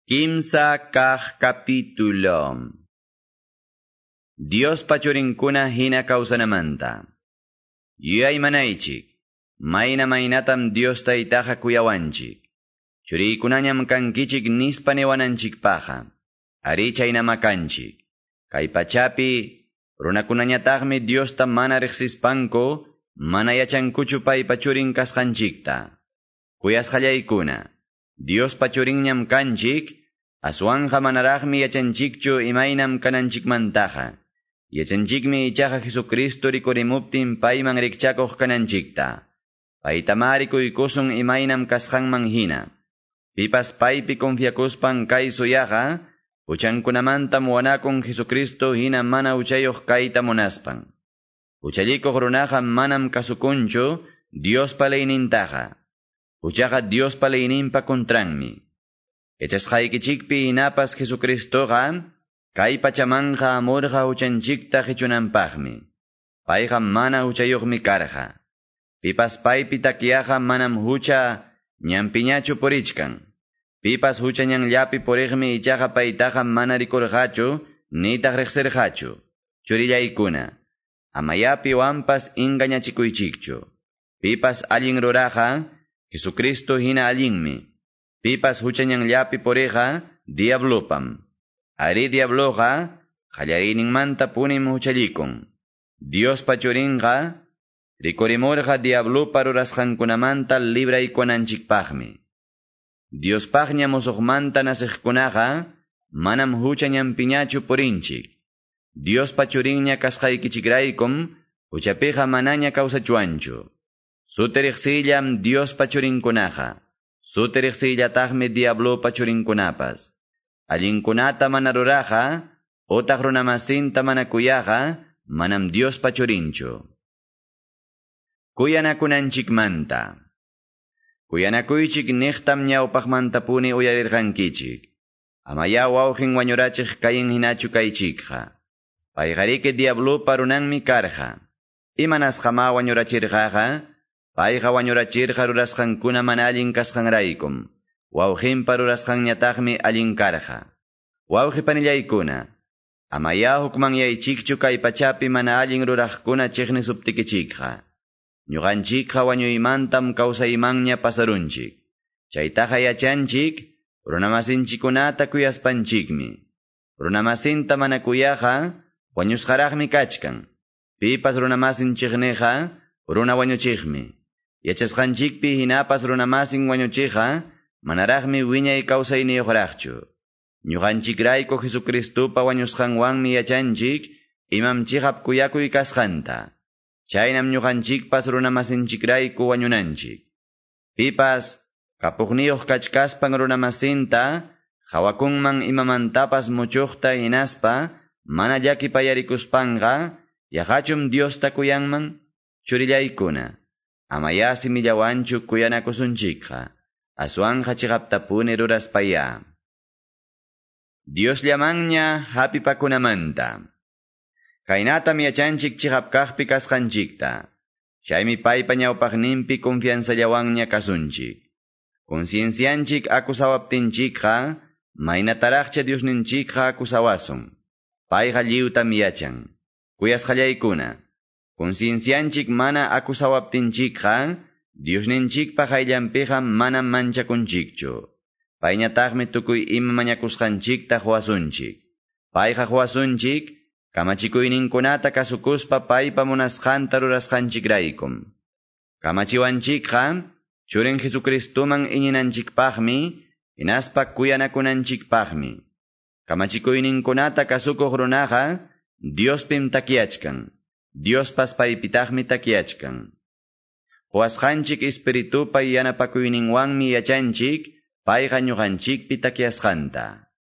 Kimsa kaq capítulo. Diospa churinkuna hina kawsanamanta. Yuyaymanaychik, mayna maynatam Dios taytaqa kuyawanchik. Churiykunañam kankichik nispa niwananchikpaqa. Ari chaynama kanchik. Kay pachapi runakunañataqmi Diosta mana riqsispanku mana yachankuchu paypa churin kasqanchikta. Kuyasqallaykuna, Diospa churinñam kanchik, aswanja manaraqmi yachanchikchu imaynam kananchikmantaqa. Yachanchikmi ichaqa Jesucristo rikurimuptin payman rikchakuq kananchikta. Paytamá rikuykusun imaynam kasqanman hina. Pipas paypi confiakuspan kay suyaqa, huchankunamantam wanakun Jesucristo hina mana huchayuq kayta munaspan. Huchallikuq runaqa manam kasukunchu Diospa leynintaqa. Huchaqa Diospa leyninpa contranmi. Yachasqaykichikpi hinapas Jesucristoqa kay pachamanja amurqa huchanchikta qichunanpaqmi. Payqa mana huchayuqmi karqa. Pipas paypi takyaqa manam hucha ñanpiñachu purichkan. Pipas hucha ñanllapi puriqmi ichaqa paytaqa mana rikurqachu nitaq riqsirqachu. Churillaykuna, amaya piwanpas engañachikuychikchu. Pipas allin ruraqa, Jesucristo hina allinmi. Pipas hucha ñanllapi puriqa, diablopam. Ari diabloqa, qallariyninmanta punim huchallikun. Diospa churinqa, rikurimurqa diablopa rurasqankunamanta libraykunanchikpaqmi. Diospaqña musuqmanta nasiqkunaqa, manam hucha ñanpiñachu purinchik. Diospa churinña kasqaykichikraykum, huchapiqa manaña kawsachuanchu. Suti riqsillam Diospa churinkunaqa. Suti riqsillataqmi diablopa churinkunapas. Allinkunata mana ruraqa, utaq runamasinta mana kuyaqa, manam Diospa churinchu. Kuyanakunanchikmanta. Kuyanakuychik niqtam ñawpaqmantapuni uyarirqankichik. Amaya wawqin wañurachiq kayin hinachu kaychikqa. Payqariki diablopa runanmi karqa. Imanasqama wañurachirqaqa, payqa wañurachirqa rurasqankuna mana allin kasqanraykum. Wawqinpa rurasqanñataqmi allin karqa. Wawqi panillaykuna, amaya hukmanyaychikchu kay pachapi mana allin ruraqkuna chiqnisuptikichikqa. Ñuqanchikqa wañuymantam kawsaymanña pasarunchik. Chaytaqa yachanchik, runamasinchikunata kuyaspanchikmi. Runamasinta mana kuyaqa, wañusqaraqmi kachkan. Pipas runamasin chiqniqa, runa wañuchiqmi. Yachasqanchikpi hinapas runamasin wañuchiqa, manaraqmi wiñay kawsayniyuqraqchu. Ñuqanchikrayku Jesucristopa wañusqanwanmi yachanchik, imam chiqap kuyakuy kasqanta. Chaynam ñuqanchikpas runamasinchikrayku wañunanchik. Pipas kapuqniyuq kachkaspan runamasinta, hawakunman imamantapas muchuqta hinaspa, mana llakipayarikuspanqa, yaqachum Diosta kuyanman, churillaykuna. Amaya simillawanchu kuyanakusunchikqa, aswanja chiqaptapuni ruraspaya. Diosllamanña hapipakunamanta. Kaynatam yachanchik chiqap kaqpi kasqanchikta. Chaymi paypa ñawpaqninpi confianzallawanña kasunchik. Conciencianchik akusawaptinchikqa, maynataraqcha Diosninchikqa akusawasun. Payqa lliwtam yachan. Kuyasqallaykuna, conciencianchik mana akusawaptinchikqa, Diosninchikpa qayllanpiqa manam manchakunchikchu. Payñataqmi tukuy ima mañakusqanchikta quwasunchik. Payqa quwasunchik, kamachikuyninkunata kasukuspa paypa munasqanta rurasqanchikraykum. Kamachiwanchikqa, churin Jesucristoman iñinanchikpaqmi, hinaspa kuyanakunanchikpaqmi. Kamachikuyninkunata kasukuq runaqa, Diospim takyachkan. Diospas paypitaqmi takyachkan. Quwasqanchik espiritupa yanapakuyninwanmi yachanchik, payqa ñuqanchikpi takyasqanta.